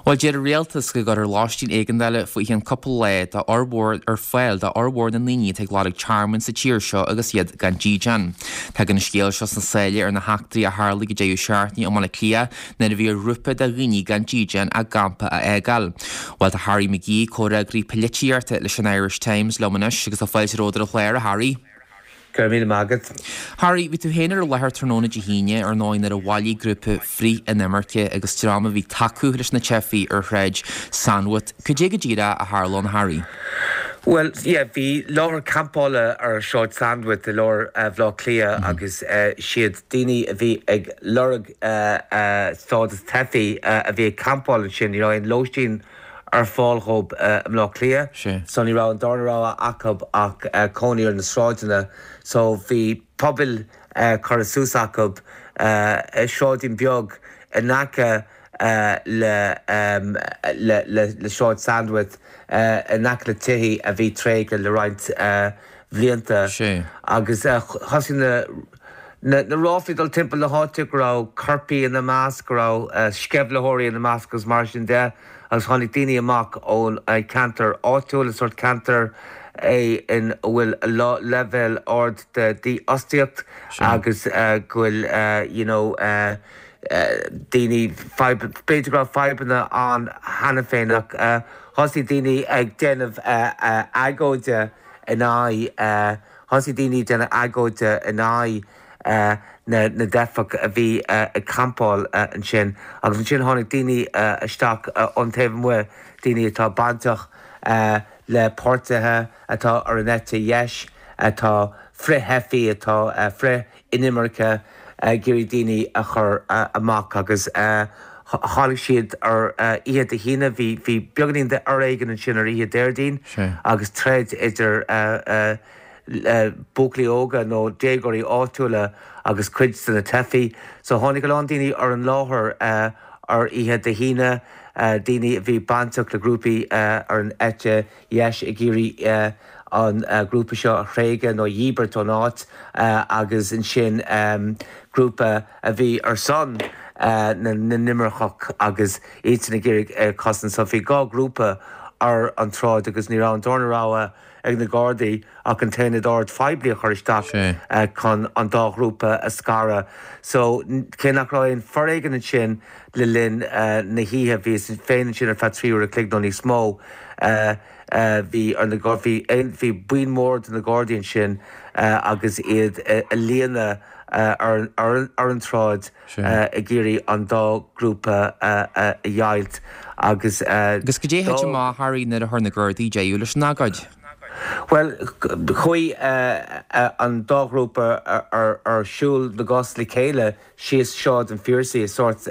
Bhuel, deir an rialtas go gcuirfear lóistín éigeandála faoi cheann cúpla lá do fhormhór ar fáil do fhormhór na ndaoine atá ag lorg tearmainn sa tír seo agus iad gan dídean. Tagann an scéal seo sna sála ar na heachtraí a tharlaigh ag deireadh seachtaine i mBaile Átha Cliath nuair a bhí ar ghrúpa de dhaoine gan dídean a gcampa a fhágáil. Bhuel, tá Harry McGee, comhfhreagraí polaitíochta leis an Irish Times, liom anois agus tá fáilte romhat ar an chlár, a Harry. Go raibh míle maith agat. Harry, bhí tú féin ar an láthair tráthnóna Dé hAoine, ar ndóigh, nuair a bhailigh grúpa frith-inimirce agus dream a bhí ag tacú leis na teifigh ar Shráid Sandwith. Cad é go díreach a tharla ann, Harry? Bhuel, yeah, bhí láthair campála ar Shráid Sandwith i lár Bhaile Átha Cliath agus siad daoine a bhí ag lorg stádas teifigh a bhí ag campáil ansin. Ní raibh aon lóistín ar fáil dhóibh i mBleá Cliath so ní raibh an darna rogha acu ach cónaí ar na sráideanna so bhí pubaill curtha suas acu i sráidín beag in aice le le Sráid Sandwith in aice le tithe a bhí tréigthe le roinnt bhlianta agus thosaigh na na ráflaí ag dul timpeall na háite go raibh coirpigh ina measc, go raibh sceimhlitheoirí ina measc agus mar sin de agus tháinig daoine amach ón cheantar áitiúil, is sórt ceantar é ina bhfuil leibhéal ard de dhífhostaíocht agus go bhfuil you know daoine, b'fhéidir go raibh fadhbanna ann cheana féin ach thosaigh daoine ag déanamh agóide in aghaidh, thosaigh daoine ag déanamh agóide in aghaidh na dteifeach a bhí ag campáil ansin agus ansin tháinig daoine isteach ón taobh amuigh, daoine atá bainteach le páirtithe atá ar an eite dheis, atá frith-theifigh, atá frith. inimirce ag iarraidh daoine a chur amach agus tháinig siad ar oíche Dé hAoine, bhí bhí beagáinín de fhoréigean ansin ar oíche Déardaoin agus troid idir buachaillí óga nó déagóirí áitiúla agus cuid de na teifigh. So tháinig a lán daoine ar an láthair ar oíche Dé hAoine, daoine a bhí bainteach le grúpaí ar an eite dheis ag iarraidh an grúpa seo a thréigean nó a dhíbirt ón áit agus ansin grúpa a bhí ar son na n-inimirceach agus iadsan ag iarraidh é a chosaint. So bhí 2 ghrúpa ar an tsráid agus ní raibh an darna rogha ag na Gardaí ach an t-aonad ord phoiblí a chur isteach chun an dá ghrúpa a scaradh. So cé nach raibh aon foréigean ansin le linn na hoíche, bhíos féin ansin ar feadh 3 uair a chloig nó níos mó, Bhí ar na bhí bhí buíon mór de na Gardaí ansin agus iad i líne ar ar an tsráid ag iarraidh an dá ghrúpa a dheighilt agus Agus cad é a thit amach, Harry, nuair a chuir na Gardaí deireadh leis an agóid? Bhuel, chuaigh an dá ghrúpa ar siúl na gcos le chéile síos Sráid an Phiarsaigh, is sórt,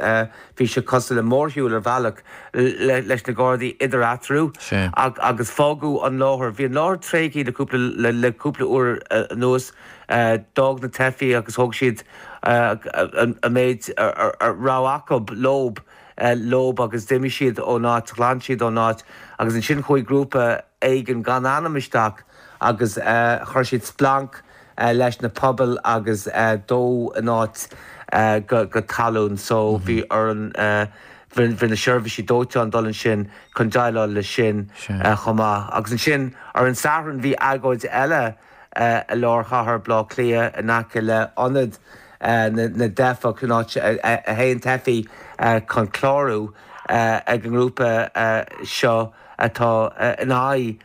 bhí sé cosúil le mórshiúl ar bhealach leis na Gardaí idir eatarthu agus fágadh an láthair. Bhí an láthair tréigthe le cúpla le cúpla uair anuas. D'fhág na teifigh agus thóg siad an méid a raibh acu leob leob agus d'imigh siad ón áit, ghlan siad ón áit agus ansin chuaigh grúpa éigin gan ainm isteach agus chuir siad splanc leis na pubaill agus dódh an áit go talún so bhí ar an bhí na seirbhísí dóiteáin dul ansin chun déileáil leis sin chomh maith. Agus ansin ar an Satharn bhí agóid eile i lár chathair Bhaile Átha Cliath in aice le ionad na dteifeach, an áit a théann teifigh chun clárú ag an ngrúpa seo atá in aghaidh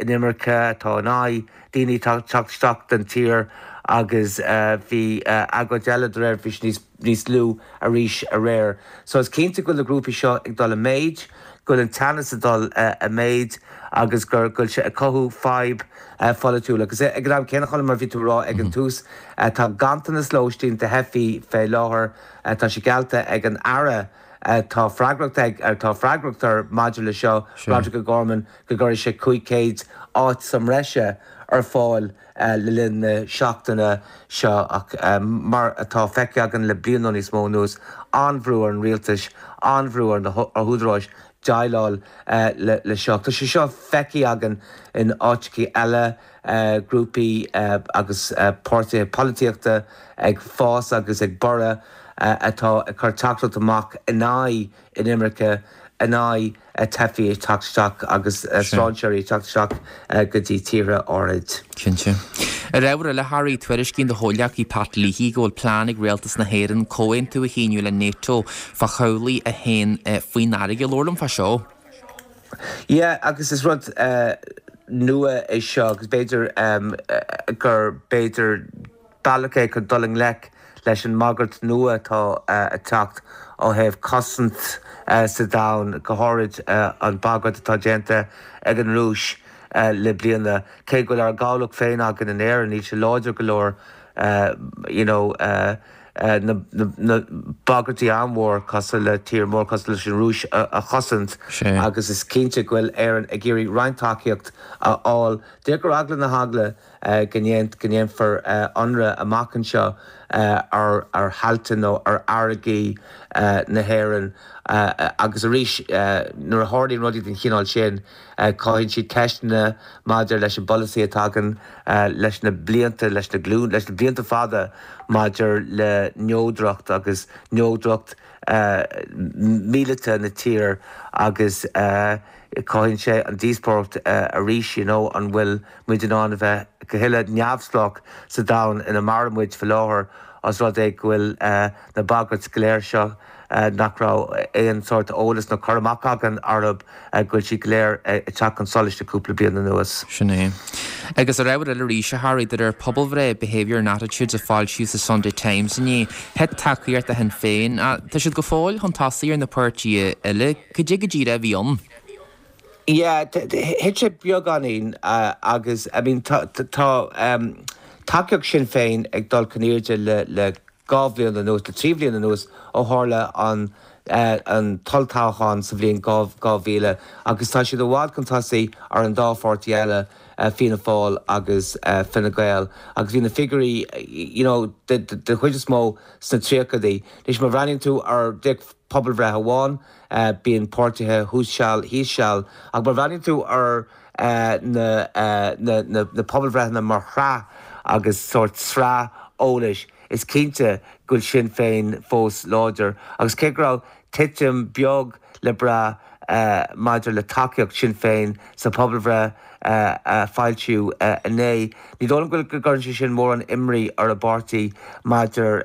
inimirce, atá in aghaidh daoine teacht isteach don tír agus bhí agóid eile de réir, bhí sé níos lú arís aréir. So is cinnte go bhfuil na grúpaí seo ag dul i méid, go bhfuil an teannas ag dul i méid agus go bhfuil sé ag cothú fadhb pholaitiúil. Agus ag an am céanna, Colm, mar a bhí tú a rá ag an tús, tá ganntanas lóistín do theifigh fé láthair, tá sé geallta ag an Aire atá freagracht ag, atá freagracht air maidir le seo, Roderic O'Gorman, go gcuirfidh sé 500 áit sa mbreise ar fáil le linn na seachtaine seo ach mar atá feicthe againn le bliain nó níos mó anuas, an-bhrú ar an rialtas, an-bhrú ar na húdaráis déileáil le seo. Tá sé seo feicthe againn in áiteachaí eile, grúpaí agus páirtithe polaitíochta ag fás agus ag borradh atá ag cur teachtaireacht amach in aghaidh inimirce. in aghaidh teifigh ag teacht isteach agus strainséirí ag teacht isteach go dtí tíortha áirid. Cinnte. Ar ábhar eile, Harry, tuairiscíonn do chomhghleacaí Pat Leahy go bhfuil plean ag Rialtas na hÉireann comhaontú a shíniú le Nato fá chabhlaigh a théann faoin fharraige. Labhair liom fá seo. Yeah, agus is rud nua é seo agus b'fhéidir gur b'fhéidir bealach é chun dul i ngleic leis an mbagairt nua atá ag teacht ó thaobh cosaint sa domhan, go háirid an bhagairt atá déanta ag an Rúis le bliana. Cé go bhfuil ár gcabhlach féin againn in Éirinn, níl sé láidir go leor you know na bagairtí an-mhór cosúil le tír mór cosúil leis an Rúis a chosaint agus is cinnte go bhfuil Éirinn ag iarraidh roinnt tacaíocht a fháil. Díreach ar eagla na heagla go ndéanfar ionradh amach anseo ar thailte nó ar fharraigí na hÉireann agus arís nuair a tharlaíonn rudaí den chineál sin cothaíonn siad ceisteanna maidir leis an bpolasaí atá againn leis na blianta, leis na glúin, leis na blianta fada maidir le neodracht agus neodracht míleata na tíre agus cothaíonn sé an díospóireacht arís you know an bhfuil muid in ann a bheith go huile neamhspleách sa domhan ina maireann muid faoi láthair os rud é go bhfuil na bagairt go léir seo nach raibh aon sórt eolas nó cur amach againn orthu, go bhfuil siad go léir ag teacht chun solais le cúpla bliain anuas. Sin é. Agus ar ábhar eile arís, a Harry, de réir pobalbhreith Behaviour and Attitudes a foilsíodh sa Sunday Times inné, thit tacaíocht do Shinn Féin. Tá siad go fóill chun tosaigh ar na páirtithe eile. Cad é go díreach a bhí ann? Yeah, thit sé beagáinín agus I mean tá tacaíocht Sinn Féin ag dul chun airde le le 2 bhliain anuas, le 3 bhliain anuas ó tharla an an t-olltoghchán sa bhliain 2000 agus tá siad i bhfad chun tosaigh ar an dá pháirtí eile, Fianna Fáil agus Fine Gael agus bhí na figiúirí you know den chuid is mó sna tríochaidí. Anois má bhreathnaíonn tú ar pobalbhreith amháin, bíonn páirtithe thuas seal, thíos seal, ach má bhreathnaíonn tú ar na pobalbhreitheanna mar shraith agus sórt sraith eolais, is cinnte go bhfuil Sinn Féin fós láidir. Agus cé go raibh titim beag le brath maidir le tacaíocht Sinn Féin sa phobalbhreith a foilsíodh inné, ní dóigh liom go gcuireann sé sin mórán imní ar an bpáirtí maidir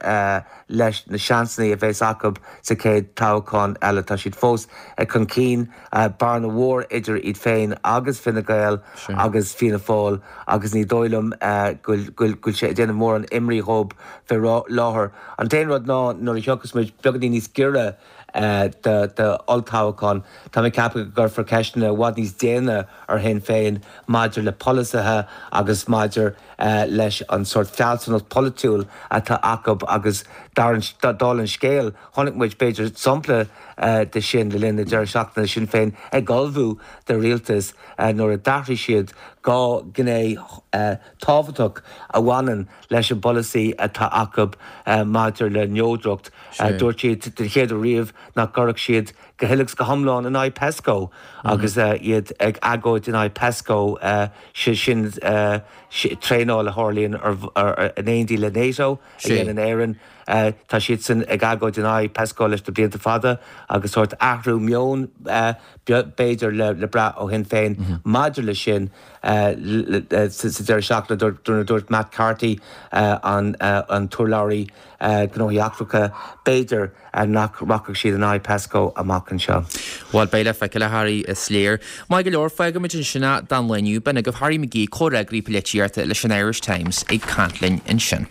leis na seansanna a bheas acu sa chéad toghchán eile. Tá siad fós chun cinn, bearna mhór idir iad féin agus Fine Gael agus Fianna Fáil agus ní dóigh liom go bhfuil sé ag déanamh mórán imní dhóibh fé láthair. An t-aon rud ná nuair a thiocfas muid beagáinín níos giorra d'olltoghchán, tá mé ag ceapadh go gcuirfear ceisteanna i bhfad níos déine ar Shinn Féin maidir le polasaithe agus maidir leis an sórt fealsúnacht pholaitiúil atá acu agus dála an scéil, chonaic muid b'fhéidir sampla de sin le linn na deireadh seachtaine, Sinn Féin ag ullmhú do rialtas nuair a d'athraigh siad 2 ghné tábhachtach a bhaineann leis an bpolasaí atá acu maidir le neodracht. Dúirt siad den chéad uair riamh nach gcuirfeadh siad go huile agus go hiomlán in aghaidh Pesco agus iad ag agóid in aghaidh Pesco, sin traenáil a tharlaíonn in éindí le Nato a dhéanann Éirinn. Tá siadsan ag agóid in aghaidh Pesco leis na blianta fada agus sórt athrú meoin b'fhéidir le brath ó Shinn Féin maidir leis sin sa deireadh seachtaine nuair a dúirt Matt Carthy, an t-urlabhraí gnóthaí eachtracha, b'fhéidir nach rachadh siad in aghaidh Pesco amach anseo. Bhuel, beidh le feiceáil, a Harry, is léir. Maith go leor, fágfaimid ansin é don lá inniu. B'in agaibh Harry McGee, comhfhreagraí polaitíochta leis an Irish Times ag caint linn ansin.